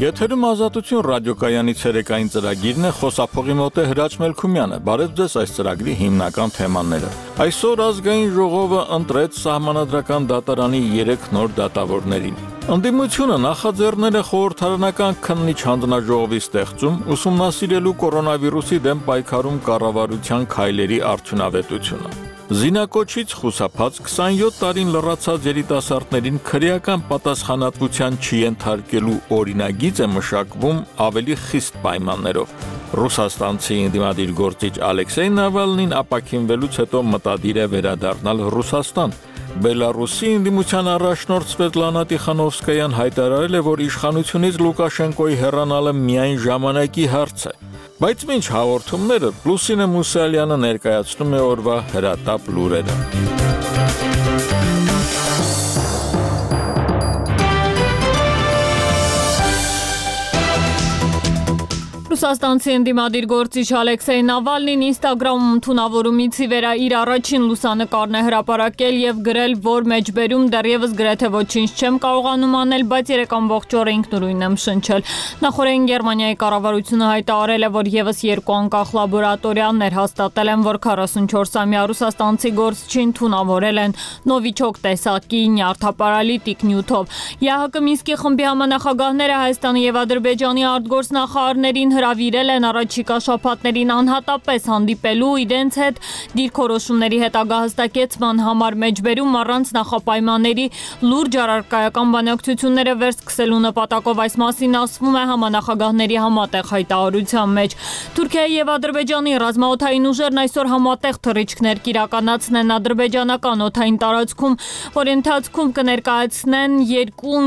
Եթերում ազատություն ռադիոկայանի ցերեկային ծրագիրն է, խոսափողի մոտ է Հրաչ Մելքումյանը։ Բարև ձեզ այս ծրագրի հիմնական թեմաները։ Այսօր ազգային ժողովը ընտրեց Սահմանադրական դատարանի 3 նոր դատավորներին։ Ընդդիմությունը նախաձեռնել է խորհրդարանական քննիչ հանձնաժողովի ստեղծում, ուսումնասիրելու կորոնավիրուսի դեմ պայքարում կառավարության քայլերի արդյունավետությունը։ Զինակոչից խուսափած 27 տարին լռացած երիտասարդներին քրեական պատասխանատվության չենթարկելու օրինագիծ է մշակվում ավելի խիստ պայմաններով։ Ռուսաստանցի ընդդիմադիր գործիչ Ալեքսեյ Նավալնին ապաքինվելուց հետո մտադիր է վերադառնալ Ռուսաստան։ Բելարուսի ընդդիմության առաջնորդ Սվետլանա Տիխանովսկայան հայտարարել է, որ իշխանությունից Լուկաշենկոյի հեռանալը միայն ժամանակի հարց է։ Բայց մինչ հաղորդումները Լուսինե Մուսալյանը ներկայացնում է օրվա հրատապ լուրերը։ Ռուսաստանցի ընդդիմադիր գործիչ Ալեքսեյ Նավալնին Ինստագրամում թունավորումից ի վեր իր առաջին լուսանկարն է հրապարակել եւ գրել, որ մեջբերում դեռևս գրեթե ոչինչ չեմ կարողանում անել, բայց 3 ամբողջ օր ինքնուրույն եմ շնչել։ Նախորդին Գերմանիայի կառավարությունը հայտարարել է, որ եւս 2 անկախ լաբորատորիաներ հաստատել են, որ 44-ամյա ռուսաստանցի գործչին թունավորել են նովիչոկ տեսակի նյարդապարալիտիկ նյութով։ ԵԱՀԿ Մինսկի խմբի համանախագահները Հայաստանի եւ Ադրբեջանի արտգործնախարարներին հրավիրել են առաջիկա շաբաթներին անհատապես հանդիպելու իրենց հետ դիրքորոշումների հետագա հստակեցման համար մեջբերում առանց նախապայմանների լուրջ առարկայական բանակցությունները վերսկսելու նպատակով այս մասին ասվում է համանախագահների համատեղ հայտարարության մեջ։ Թուրքիայի եւ Ադրբեջանի ռազմաօդային ուժերն այսօր համատեղ թռիչքներ կիրականացնեն ադրբեջանական օդային տարածքում, որի ընթացքում կներկայացնեն երկու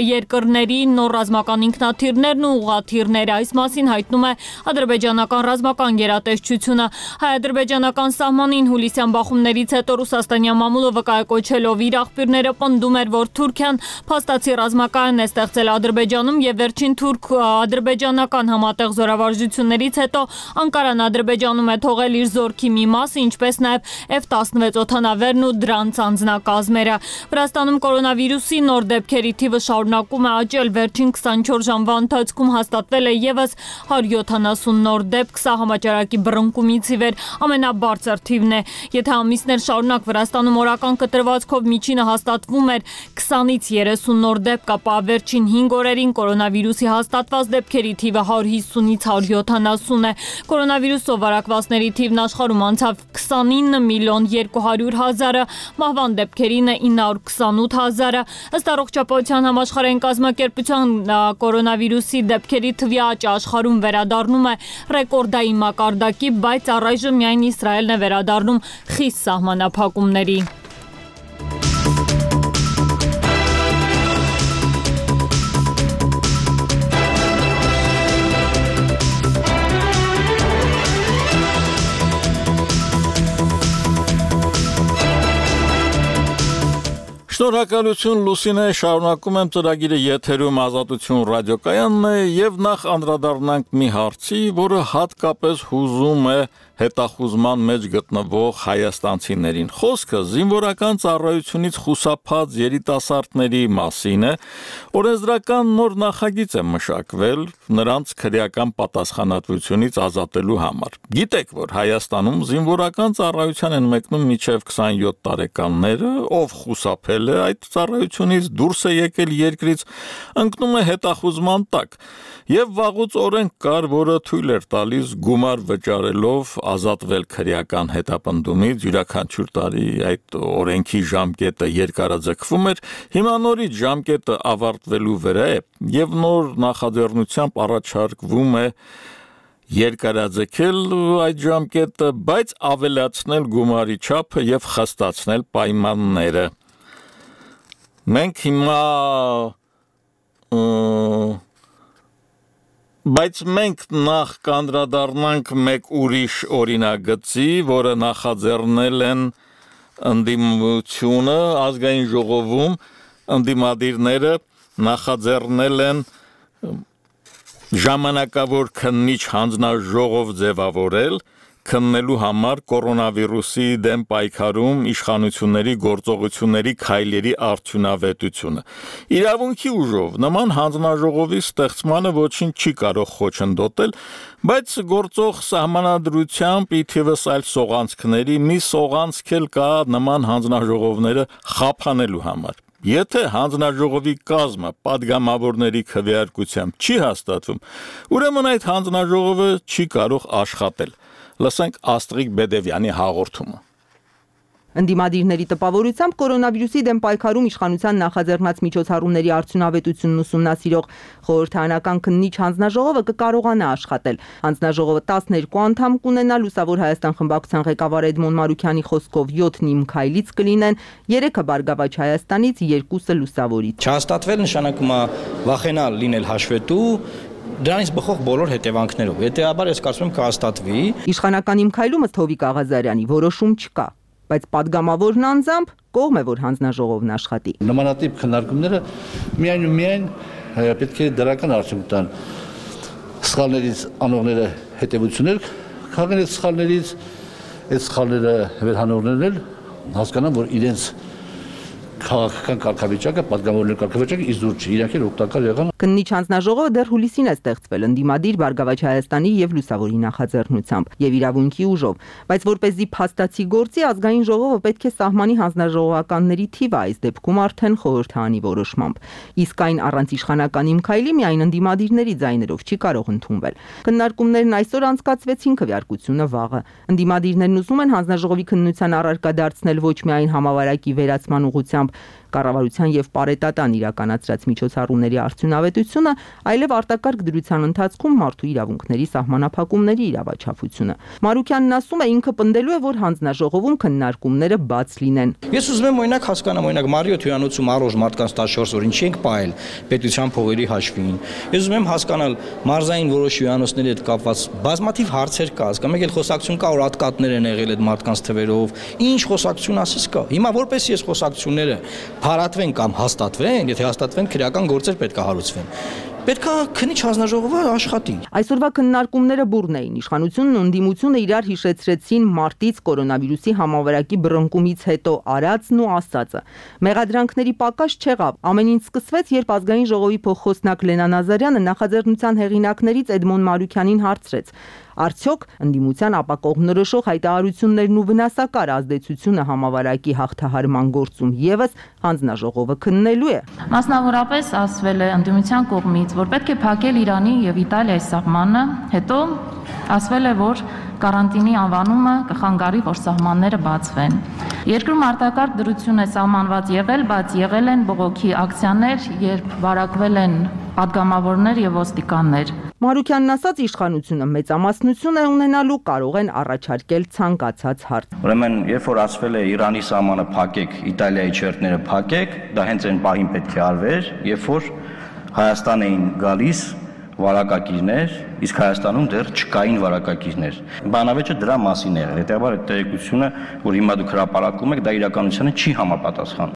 երկրների նոր ռազմական ինքնաթիռներն ու ուղղաթիռները։ Այս մասին հայտնում է ադրբեջանական ռազմական գերատեսչությունը։ Հայ-ադրբեջանական սահմանին հուլիսյան բախումներից հետո ռուսաստանյան մամուլը վկայակոչելով իր աղբյուրները պնդում էր, որ Թուրքիան փաստացի ռազմակայան է ստեղծել Ադրբեջանում եւ վերջին թուրք-ադրբեջանական համատեղ զորավարժություններից հետո Անկարան Ադրբեջանում է թողել իր զորքի մի մասը, ինչպես նաեւ F-16 օդանավերն ու դրանց անձնակազմերը։ Վրաստանում կորոնավիրուսի նոր դեպքերի թիվը շարունակում է աճել, վերջին 24 ժամվա ընթացքում հաստատվել է եւս 170 նոր դեպք, սա համաճարակի բռնկումից ի վեր ամենաբարձր թիվն է։ Եթե ամիսներ շարունակ Վրաստանում օրական կտրվածքով միջինը հաստատվում էր 20-ից 30 նոր դեպք, ապա վերջին 5 օրերին կորոնավիրուսի հաստատված դեպքերի թիվը 150-ից 170 է։ Կորոնավիրուսով վարակվածների թիվն աշխարհում անցավ 29 միլիոն 200 հազարը, մահվան դեպքերին 928 հազարը։ Ըստ Առողջապահության համաշխարհային կազմակերպության կորոնավիրուսի դեպքերի թվի աճը աշխարհում վերադառնում է ռեկորդային մակարդակի, բայց առայժմ միայն Իսրայելն է վերադառնում խիստ սահմանափակումների։ Շնորհակալություն Լուսինե, շարունակում եմ ծրագիրը եթերում ազատություն ռադիոկայանն է եւ նախ անդրադառնանք մի հարցի, որը հատկապես հուզում է հետախուզման մեջ գտնվող հայաստանցիներին։ Խոսքը զինվորական ծառայությունից խուսափած երիտասարդների մասին է, օրենսդրական նոր նախագիծ է մշակվել նրանց քրեական պատասխանատվությունից ազատելու համար։ Գիտեք, որ Հայաստանում զինվորական ծառայության են մեկնում մինչև 27 տարեկանները, ով խուսափել է այդ ծառայությունից, դուրս է եկել երկրից, ընկնում է հետախուզման տակ։ Եվ վաղուց օրենք կար, որը թույլ էր տալիս գումար վճարելով ազատվել քրեական հետապնդումից, յուրաքանչյուր տարի այդ օրենքի ժամկետը երկարաձգվում էր, հիմա նորից ժամկետը ավարտվելու վրա է եւ նոր նախաձեռնությամբ առաջարկվում է երկարաձգել այդ ժամկետը, բայց ավելացնել գումարի չափը եւ խստացնել պայմանները։ Մենք հիմա Բայց մենք նախ կանդրադառնանք մեկ ուրիշ օրինագծի, որը նախաձեռնել են ընդդիմությունը ազգային ժողովում, ընդդիմադիրները նախաձեռնել են ժամանակավոր քննիչ հանձնաժողով ձևավորել, քննելու համար կորոնավիրուսի դեմ պայքարում իշխանությունների գործողությունների քայլերի արդյունավետությունը։ Իրավունքի ուժով նման հանձնաժողովի ստեղծմանը ոչինչ չի կարող խոչընդոտել, բայց գործող սահմանադրությամբ ի թիվս այլ սողանցքների մի սողանցք էլ կա նման հանձնաժողովները խափանելու համար։ Եթե հանձնաժողովի կազմը պատգամավորների քվեարկությամբ չի հաստատվում, ուրեմն այդ հանձնաժողովը չի կարող աշխատել։ Լսենք Աստղիկ Բեդևյանի հաղորդումը։ Ընդդիմադիրների տպավորությամբ կորոնավիրուսի դեմ պայքարում իշխանության նախաձեռնած միջոցառումների արդյունավետությունն ուսումնասիրող խորհրդարանական քննիչ հանձնաժողովը կկարողանա աշխատել։ Հանձնաժողովը 12 անդամ կունենա, Լուսավոր Հայաստան խմբակցության ղեկավար Էդմոն Մարուքյանի խոսքով 7-ն Իմ Քայլից կլինեն, 3-ը Բարգավաճ Հայաստանից, 2-ը Լուսավորից։ Չհաստատվել նշանակում է վախենալ լինել հաշվետու դրանից բխող բոլոր հետևանքներով։ Հետեւաբար ես կարծում եմ կհաստատվի։ Իշխանական Իմ Քայլում ըստ Հովիկ Աղազարյանի որոշում չկա, բայց падգամավորն անձամբ կողմ է, որ հանձնաժողովն աշխատի։ Նմանատիպ քննարկումները միայն պետք է դրական արդյունք տան։ Սխալներից անողները հետևություններ քաղեն այդ սխալներից, այդ սխալները վերհանողներն էլ հասկանան, որ իրենց քաղաքական կարգավիճակը, падգամավորների կարգավիճակը իզուր չի, իրանք էլ օգտակար եղան։ Քննիչ հանձնաժողովը դեռ հուլիսին է ստեղծվել ընդդիմադիր Բարգավաճ Հայաստանի եւ Լուսավորի նախաձեռնությամբ եւ իրավունքի ուժով, բայց որպեսզի փաստացի գործի ազգային ժողովը պետք է սահմանի հանձնաժողովականների թիվը, այս դեպքում արդեն խորհրդարանի որոշմամբ։ Իսկ այն առանց իշխանական Իմ Քայլի միայն ընդդիմադիրների ձայներով չի կարող ընդունվել։ Քննարկումներն այսօր անցկացվեցին, քվեարկությունը վաղը։ Ընդդիմադիրներն ուզում են հանձնաժողովի քննության առարկա դարձնել ոչ միայն համավարակի վերացման ուղղությամբ կառավարության եւ պարետատան իրականացրած միջոցառումների արդյունավետությունը, այլև արտակարգ դրության ընթացքում մարդու իրավունքների սահմանափակումների իրավաչափությունը։ Մարուքյանն ասում է, ինքը պնդելու է, որ հանձնաժողովում քննարկումները բաց լինեն։ Ես ուզում եմ օրինակ հասկանամ, օրինակ Մարիոթ հյուրանոցում առողջ մարդկանց 14 օր ինչի ենք պահել պետության փողերի հաշվին։ Ես ուզում եմ հասկանալ մարզային որոշ հյուրանոցների հետ կապված բազմաթիվ հարցեր կա, հասկանում եք, խոսակցություն կա, որ ատկատներ են եղել այդ մարդկանց թվերով։ Ինչ խոսակցություն ասես կա։ Հիմա որպես ես խոսակցությունները հարատվեն կամ հաստատվեն, եթե հաստատվեն, քրեական գործեր պետք է հարուցվեն։ Պետք է քննիչ հանձնաժողովը աշխատի։ Այսօրվա քննարկումները բուռն էին։ Իշխանությունն ու ընդդիմությունը իրար հիշեցրեցին մարտից կորոնավիրուսի համավարակի բռնկումից հետո արածն ու ասածը։ Մեղադրանքների պակաս չեղավ։ Ամեն ինչ սկսվեց, երբ ազգային ժողովի փոխխոսնակ Լենա Նազարյանը նախաձեռնության հեղինակներից Էդմոն Մարուքյանին հարցրեց. Արդյոք ընդդիմության ապակողմնորոշող հայտարարություններն ու վնասակար ազդեցությունը համավարակի հաղթահարման գործում եւս հանձնաժողովը քննելու է։ Մասնավորապես ասվել է ընդդիմության կողմից, որ պետք է փակել Իրանի եւ Իտալիայի սահմանը, հետո ասվել է, որ կարանտինի անվանումը կխանգարի, որ սահմանները բացվեն։ Երկրում արտակարգ դրություն է սահմանված եղել, բայց եղել են բողոքի ակցիաներ, երբ վարակվել են падգամավորներ եւ ոստիկաններ։ Մարուքյանն ասաց, իշխանությունը մեծամասնություն է ունենալու, կարող են առաջարկել ցանկացած հարց։ Ուրեմն, երբ որ ասվել է Իրանի սահմանը փակեք, Իտալիայի չերտները փակեք, դա հենց այն պահին պետք է արվեր, երբ որ Հայաստան էին գալիս վարակակիրներ, իսկ Հայաստանում դեռ չկային վարակակիրներ։ Բանավեճը դրա մասին է եղել։ Հետևաբար այդ տեղեկությունը, որ հիմա դուք հրապարակում եք, դա իրականությանը չի համապատասխանում։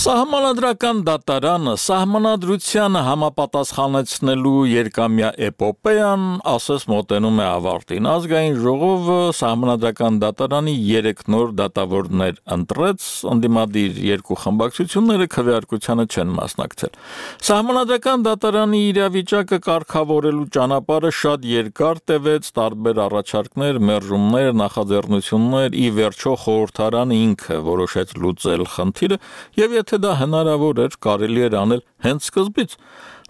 Սահմանադրական դատարանը սահմանադրությանը համապատասխանեցնելու երկամյա էպոպեան ասես մոտենում է ավարտին։ Ազգային ժողովը սահմանադրական դատարանի 3 նոր դատավորներ ընտրեց, ընդդիմադիր 2 խմբակցությունները քվեարկությանը չեն մասնակցել։ Սահմանադրական դատարանի իրավիճակը կարգավորելու ճանապարհը շատ երկար տևեց, տարբեր առաջարկներ, մերժումներ, նախաձեռնություններ, ի վերջո խորհրդարանը ինքը որոշեց լուծել խնդիրը, եւ եթե դա հնարավոր էր, կարելի էր անել հենց սկզբից։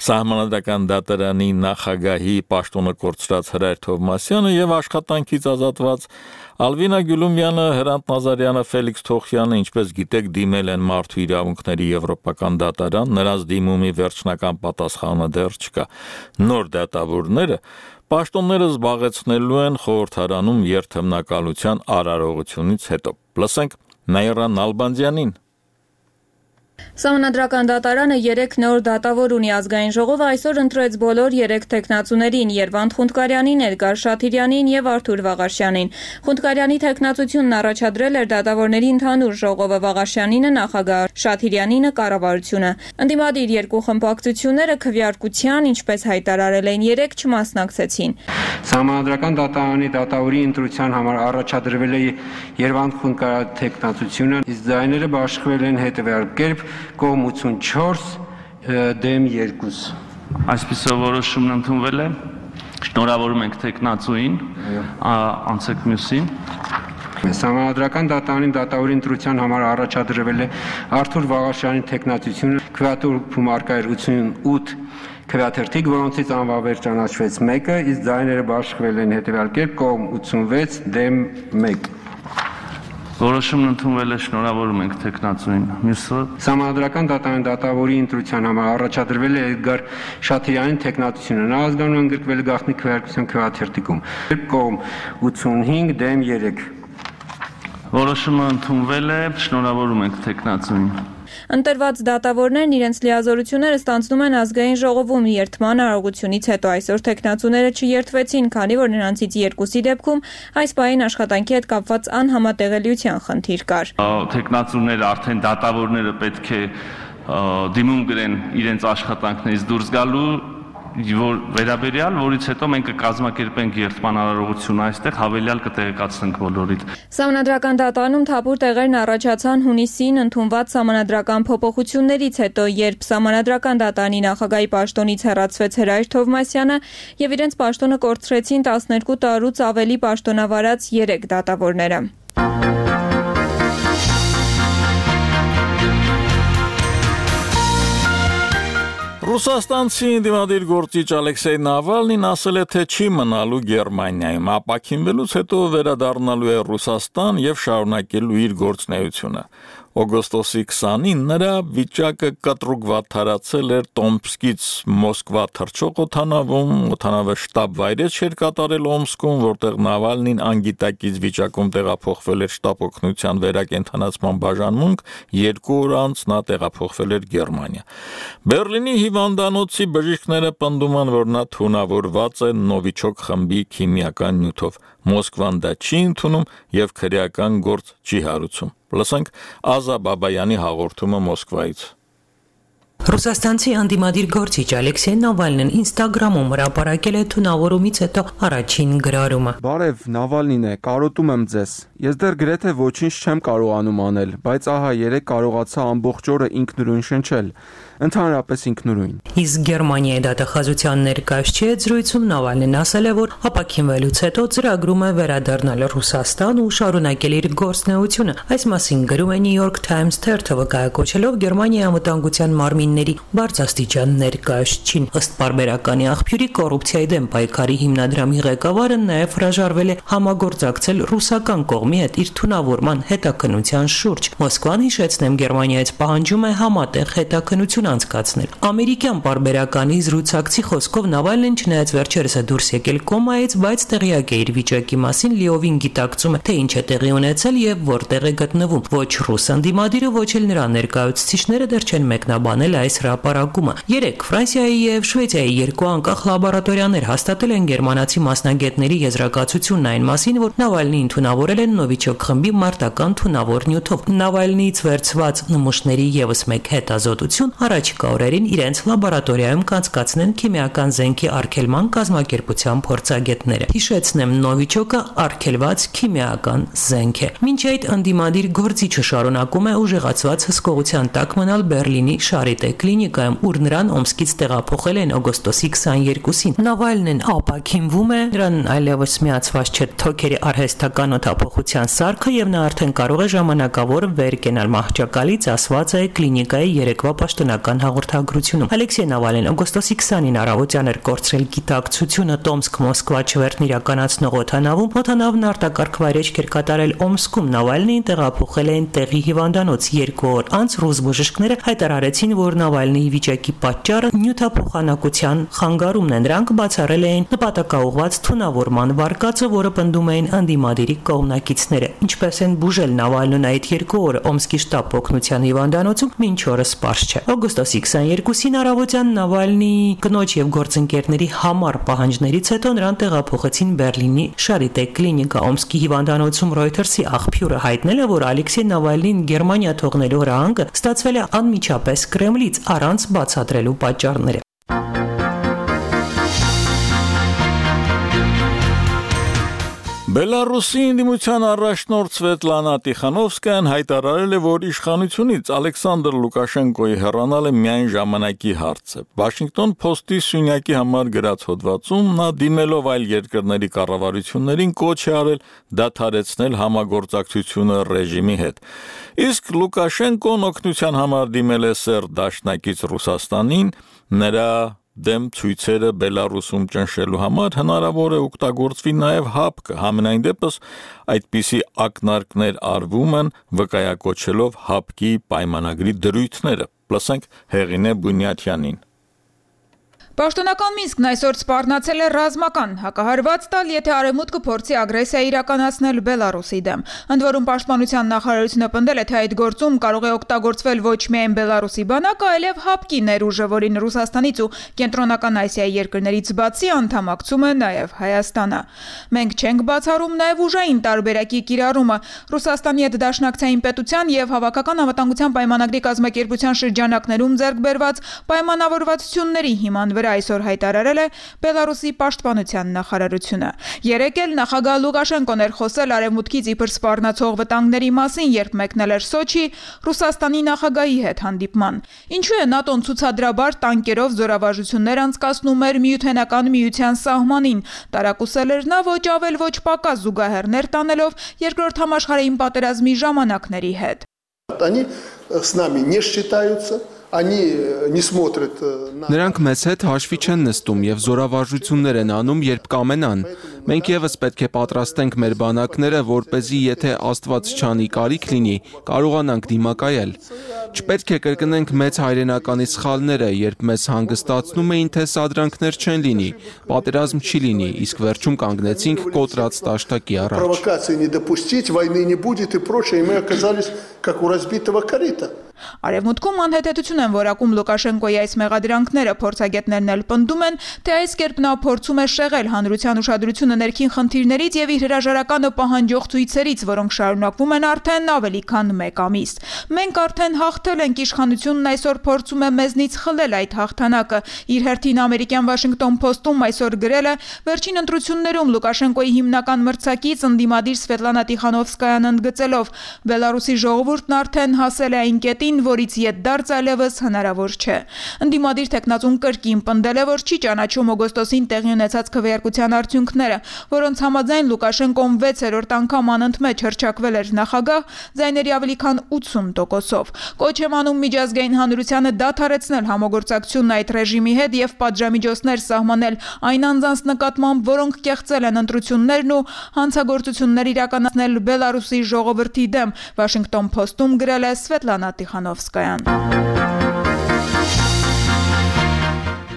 Սահմանադրական դատարանի նախագահի պաշտոնը կորցրած Հրայր Թովմասյանը եւ աշխատանքից ազատված Ալվինա Գյուլումյանը, Հրանտ Նազարյանը, Ֆելիքս Թոխյանը, ինչպես գիտեք, դիմել են Մարդու իրավունքների եվրոպական դատարան, նրանց դիմումի վերջնական պատասխանը դեռ չկա։ Նոր դատավորները պաշտոնները զբաղեցնելու են խորհրդարանում երթմնակալության արարողությունից հետո։ Լսենք Նաիրա Նալբանդյանին։ Սահմանադրական դատարանը 3 նոր դատավոր ունի ազգային ժողովը այսօր ընտրեց բոլոր 3 տեխնացուներին՝ Երվանդ Խունդկարյանին, Էդգար Շաթիրյանին եւ Արթուր Վաղաշյանին։ Խունդկարյանի տեխնացությունն առաջադրել էր դատավորների ընդհանուր ժողովը, Վաղաշյանինը նախագահ, Շաթիրյանինը կառավարությունը։ Ընդդիմադիր երկու խմբակցությունները քվեարկության, ինչպես հայտարարել էին 3, չմասնակցեցին։ Սահմանադրական դատարանի դատավորի ընտրության համար առաջադրվել է Երվանդ Խունդկարյանի տեխնացությունը, իսկ ձայները բաշխվել են հետևյալ կերպ՝ կողմ 84 դեմ 2։ Այսպիսով որոշումն ընդունվել է։ Շնորհավորում ենք տեխնացուին, անցեք մյուսին։ Սահմանադրական դատարանի դատավորի ընտրության համար առաջադրվել է Արթուր Վաղաշյանի տեխնացությունը, քվեատուր արկայր 88 քվեաթերթիկ, որոնցից անվավեր ճանաչվեց 1-ը, իսկ ձայները բաշխվել են հետևյալ կերպ՝ կողմ 86 դեմ 1։ Որոշումն ընդունվել է, շնորհավորում ենք տեխնացուին։ Մյուսը Սահմանադրական դատարանի դատավորի ընտրության համար առաջադրվել է Էդգար Շաթիրյանի տեխնացությունը։ Նա ազգանուն ընդգրկվել է գաղտնի քվեարկության քվեաթերթիկում։ Կողմ 85 դեմ 3։ որոշումը ընդունվել է, շնորհավորում ենք տեխնացուին։ Ընտրված դատավորներն իրենց լիազորությունները ստանձնում են ազգային ժողովում երթման արարողությունից հետո այսօր տեխնացուները չերթվեցին, քանի որ նրանցից 2-ի դեպքում այս պահին աշխատանքի հետ կապված անհամատեղելիության խնդիր կար։ Տեխնացուները արդեն դատավորները պետք է դիմում գրեն իրենց աշխատանքներից դուրս գալու որ վերաբերյալ, որից հետո մենք կկազմակերպենք երթման արարողություն այստեղ, հավելյալ կտեղեկացնենք բոլորիդ։ Սահմանադրական դատարանում թափուր տեղերն առաջացան հունիսին ընդունված սահմանադրական փոփոխություններից հետո, երբ սահմանադրական դատարանի նախագահի պաշտոնից հեռացվեց Հրայր Թովմասյանը եւ իրենց պաշտոնը կորցրեցին 12 տարուց ավելի պաշտոնավարած 3 դատավորները։ Ռուսաստանցի ընդդիմադիր գործիչ Ալեքսեյ Նավալնին ասել է, թե չի մնալու Գերմանիայում, ապաքինվելուց հետո վերադառնալու է Ռուսաստան եւ շարունակելու իր գործունեությունը։ Օգոստոսի 20-ին նրա վիճակը կտրուկ վատթարացել էր Տոմսկից Մոսկվա թռչող օդանավում, օդանավը շտաբ վայրէջք էր կատարել Օմսկում, որտեղ Նավալնին անգիտակից վիճակում տեղափոխվել էր շտաբ օգնության վերակենդանացման բաժանմունք, 2 օր անց նա տեղափոխվել էր Գերմանիա։ Բերլինի հիվանդանոցի բժիշկները պնդում են, որ նա թունավորված է Նովիչոկ խմբի քիմիական նյութով։ Մոսկվան դա չի ընդունում եւ քրեական գործ չի հարուցում։ Լսենք Ազա Բաբայանի հաղորդումը Մոսկվայից։ Ռուսաստանցի ընդդիմադիր գործիչ Ալեքսեյ Նավալնին Ինստագրամում հրապարակել է թունավորումից հետո առաջին գրառումը։ Բարև, Նավալնին է, կարոտում եմ ձեզ։ Ես դեռ գրեթե ոչինչ չեմ կարողանում անել, բայց ահա երեք կարողացա ամբողջ օրը ինքնուրույն շնչել, ընդհանրապես ինքնուրույն։ Իսկ Գերմանիայի դատախազության ներկայացուցիչ զրույցում Նավալնին ասել է, որ ապաքինվելուց հետո ծրագրում է վերադառնալ Ռուսաստան ու շարունակել իր գործունեությունը։ Այս մասին գրում է New York Times թերթը, վկայակոչելով Գերմանիայի անվտանգության մարմինների բարձրաստիճան ներկայացուցիչին։ Ըստ պարբերականի աղբյուրի կոռուպցիայի դեմ պայքարի հիմնադրամի ղեկավարը նաև հրաժարվել է համագործակցել ռուսական կողմի հետ իր թունավորման հետաքննության շուրջ։ Մոսկվան, հիշեցնեմ, Գերմանիայից պահանջում է համատեղ հետաքննություն անցկացնել։ Ամերիկյան պարբերականի զրուցակցի խոսքով Նավալնին չնայած վերջերս է դուրս եկել կոմայից, բայց տեղյակ է իր վիճակի մասին, լիովին գիտակցում է, թե ինչ է տեղի ունեցել եւ որտեղ է գտնվում։ Ոչ ռուս ընդդիմադիրը, ոչ էլ նրա ներկայացուցիչները դեռ չեն մեկնաբանել այս հրապարակումը։ 3 Ֆրանսիայի եւ Շվեյցիայի 2 անկախ լաբորատորիաներ հաստատել են գերմանացի մասնագետների եզրակացությունն այն մասին, որ Նավալնին թունավորել են Նովիչոկ խմբի մարտական թունավոր նյութով։ Նավալնիից վերցված նմուշների եւս մեկ հետազոտություն առաջիկա օրերին իրենց լաբորատորիայում կանցկացնեն քիմիական զենքի արգելման կազմակերպության փորձագետները։ Հիշեցնեմ, Նովիչոկը արգելված քիմիական զենք է։ Մինչ այդ ընդդիմադիր գործիչը շարունակում է ուժեղացված հսկողության տակ մնալ Բերլինի Շարիտե կլինիկայում, ուր նրան Օմսկից տեղափոխել են օգոստոսի 22-ին։ Նավալնին ապաքինվում է, նրան այլևս միացված չէ թոքերի արհեստական օդափոխության սարքը եւ նա արդեն կարող է ժամանակավոր վեր կենալ մահճակալից, ասված է կլինիկայի երեկվա պաշտոնական հաղորդագրությունում։ Ալեքսեյ Նավալնին օգոստոսի 20-ին առավոտյան էր կորցրել գիտակցությունը Տոմսկ-Մոսկվա չվերթն իրականացնող օդանավում։ Օդանավն արտակարգ վայրէջք էր կատարել Օմսկում։ Նավալնին տեղափոխել են տեղի հիվանդանոց։ 2 օր անց ռուս բժիշկները հայտարարեցին, որ Նավալնիի վիճակի պատճառը նյութափոխանակության խանգարումն է։ Նրանք բացառել էին նպատակաուղղված թունավորման վարկածը, որը պնդում էին ընդդիմադիրի կողմնակիցները։ Ինչպես են բուժել Նավալնին այդ 2 օրը Օմսկի շտապ օգնության հիվանդանոցում, մինչ օրս պարզ չէ։ Օգոստոսի 22-ին առավոտյան Նավալնիի կնոջ եւ գործընկերների համար պահանջներից հետո նրան տեղափոխեցին Բերլինի Շարիտե կլինիկա։ Օմսկի հիվանդանոցում Reuters-ի աղբյուրը հայտնել է, որ Ալեքսեյ Նավալնին Գերմանիա թողնելու հրահանգը ստացվել է անմիջապես Կրեմլից առանց բացատրելու պատճառները։ Բելարուսի ընդդիմության առաջնորդ Սվետլանա Տիխանովսկայան հայտարարել է, որ իշխանությունից Ալեքսանդր Լուկաշենկոյի հեռանալը միայն ժամանակի հարց է։ Վաշինգտոն Post-ի սյունյակի համար գրած հոդվածում նա դիմելով այլ երկրների կառավարություններին կոչ է արել դադարեցնել համագործակցությունը ռեժիմի հետ։ Իսկ Լուկաշենկոն օգնության համար դիմել է Սերբ Դաշնակից Ռուսաստանին, նրա դեմ ցույցերը Բելարուսում ճնշելու համար հնարավոր է օգտագործվի նաև ՀԱՊԿ, համենայն դեպս այդպիսի ակնարկներ արվում են վկայակոչելով ՀԱՊԿ-ի պայմանագրի դրույթները։ Լսենք Հեղինե Բունյաթյանին։ Պաշտոնական Մինսկն այսօր սպառնացել է ռազմական հակահարված տալ, եթե Արևմուտքը փորձի ագրեսիա իրականացնել Բելարուսի դեմ։ Ընդ որում Պաշտպանության նախարարությունը պնդել է, թե այդ գործում կարող է օգտագործվել ոչ միայն Բելարուսի բանակը, այլև ՀԱՊԿ-ի ներուժը, որին Ռուսաստանից ու Կենտրոնական Ասիայի երկրներից բացի անդամակցում է նաև Հայաստանը։ Մենք չենք բացառում նաև ուժային տարբերակի կիրառումը։ Ռուսաստանի հետ դաշնակցային պետության եւ Հավաքական անվտանգության պայմանագրի կազմակերպության շրջանակներում ձեռք բերված պայմանավորվածությունների հիման վրա այսօր հայտարարել է Բելարուսի պաշտպանության նախարարությունը։ Երեկ էլ նախագահ Լուկաշենկոն էր խոսել Արևմուտքից իբր սպառնացող վտանգների մասին, երբ մեկնել էր Սոչի Ռուսաստանի նախագահի հետ հանդիպման։ Ինչու է ՆԱՏՕ-ն ցուցադրաբար տանկերով զորավարժություններ անցկացնում էր Միութենական միության սահմանին, տարակուսել էր նա ոչ ավել ոչ պակաս զուգահեռներ տանելով Երկրորդ համաշխարհային պատերազմի ժամանակների հետ։ Они с нами не считаются. Նրանք մեզ հետ հաշվի չեն նստում եւ զորավարժություններ են անում, երբ կամենան։ Մենք եւս պետք է պատրաստենք մեր բանակները, որպեսզի եթե Աստված չանի կարիք լինի, կարողանանք դիմակայել։ Չպետք է կրկնենք մեծ հայրենականի սխալները, երբ մեզ հանգստացնում էին, թե սադրանքներ չեն լինի, պատերազմ չի լինի, իսկ վերջում կանգնեցինք կոտրած տաշտակի առաջ։ Провокации не допустить, войны не будет и прочее, и мы оказались как у разбитого корыта. Արևմուտքում անհետեցություն են որակում Լուկաշենկոյի այս մեղադրանքները, փորձագետներն էլ պնդում են, թե այս կերպ նա փորձում է շեղել հանրության ուշադրությունը ներքին խնդիրներից եւ իր հրաժարականը պահանջող ցույցերից, որոնք շարունակվում են արդեն ավելի քան 1 ամիս։ Մենք արդեն հաղթել ենք, իշխանությունն այսօր փորձում է մեզնից խլել այդ հաղթանակը։ Իր հերթին ամերիկյան Washington Post-ում այսօր գրել է, վերջին ընտրություններում Լուկաշենկոյի հիմնական մրցակից ընդդիմադիր Սվետլանա Տիխանովսկայան ընդգծելով, Բելարուսի ժողովուրդն արդեն հասել է այն կետին, որից ետդարձ այլևս հնարավոր չէ։ Ընդդիմադիր տեխնացուն կրկին պնդել է, որ չի ճանաչում օգոստոսին տեղի ունեցած քվեարկության արդյունքները, որոնց համաձայն Լուկաշենկոն 6-րդ անգամ անընդմեջ հռչակվել էր նախագահ, ձայների ավելի քան 80%-ով։ Կոչ է անում միջազգային հանրությանը դադարեցնել համագործակցությունն այդ ռեժիմի հետ եւ պատժամիջոցներ սահմանել այն անձանց նկատմամբ, որոնք կեղծել են ընտրություններն ու հանցագործություններ իրականացնել Բելարուսի ժողովրդի դեմ, Washington Post-ում գրել է Սվետլանա Տիխանովսկայան։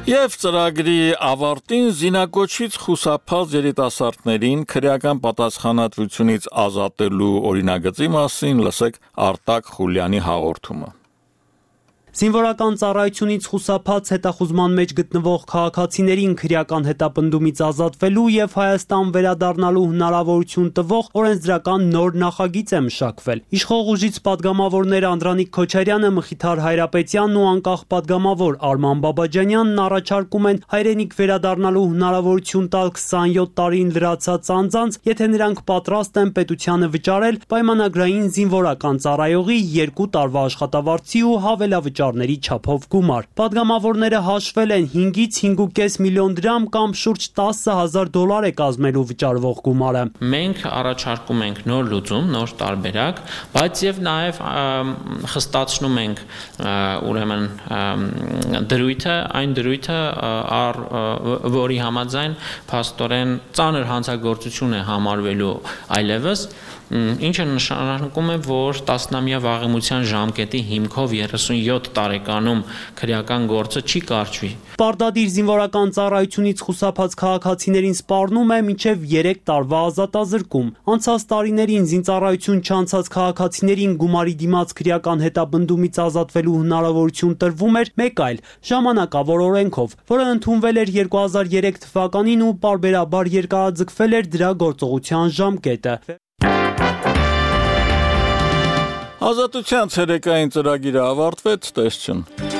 Եվ ծրագրի ավարտին զինակոչից խուսափած երիտասարդներին քրեական պատասխանատվությունից ազատելու օրինագծի մասին լսեք Արտակ Խուլյանի հաղորդումը։ Զինվորական ծառայությունից խուսափած հետախուզման մեջ գտնվող քաղաքացիներին քրեական հետապնդումից ազատվելու եւ Հայաստան վերադառնալու հնարավորություն տվող օրենսդրական նոր նախագիծ է մշակվել։ Իշխող ուժից падգամավորներ Անդրանիկ Քոչարյանը, Մխիթար Հայրապետյանն ու անկախ падգամավոր Արման Բաբաջանյանն առաջարկում են հայրենիք վերադառնալու հնարավորություն տալ 27 տարին լրացած անձանց, եթե նրանք պատրաստ են պետությանը վճարել պայմանագրային զինվորական ծառայողի 2 տարվա աշխատավարձի ու հավելավճար չափով գումար։ Պատգամավորները հաշվել են 5-ից 5.5 միլիոն դրամ կամ շուրջ $10,000 է կազմելու վճարվող գումարը։ Մենք առաջարկում ենք նոր լուծում, նոր տարբերակ, բայց եւ նաեւ խստացնում ենք ուրեմն դրույթը, այն դրույթը, որի համաձայն փաստորեն ծանր հանցագործություն է համարվելու այլևս ինչը նշանակում է, որ 10-ամյա վաղեմության ժամկետի հիմքով 37 տարեկանում քրեական գործը չի կարճվի։ Պարտադիր զինվորական ծառայությունից խուսափած քաղաքացիներին սպառնում է մինչև 3 տարվա ազատազրկում։ Անցած տարիներին զինծառայություն չանցած քաղաքացիներին գումարի դիմաց քրեական հետապնդումից ազատվելու հնարավորություն տրվում էր մեկ այլ ժամանակավոր օրենքով, որը ընդունվել էր 2003 թվականին ու պարբերաբար երկարաձգվել էր դրա գործողության ժամկետը։ Ազատության ցերեկային ծրագիրը ավարտվեց, տեսություն։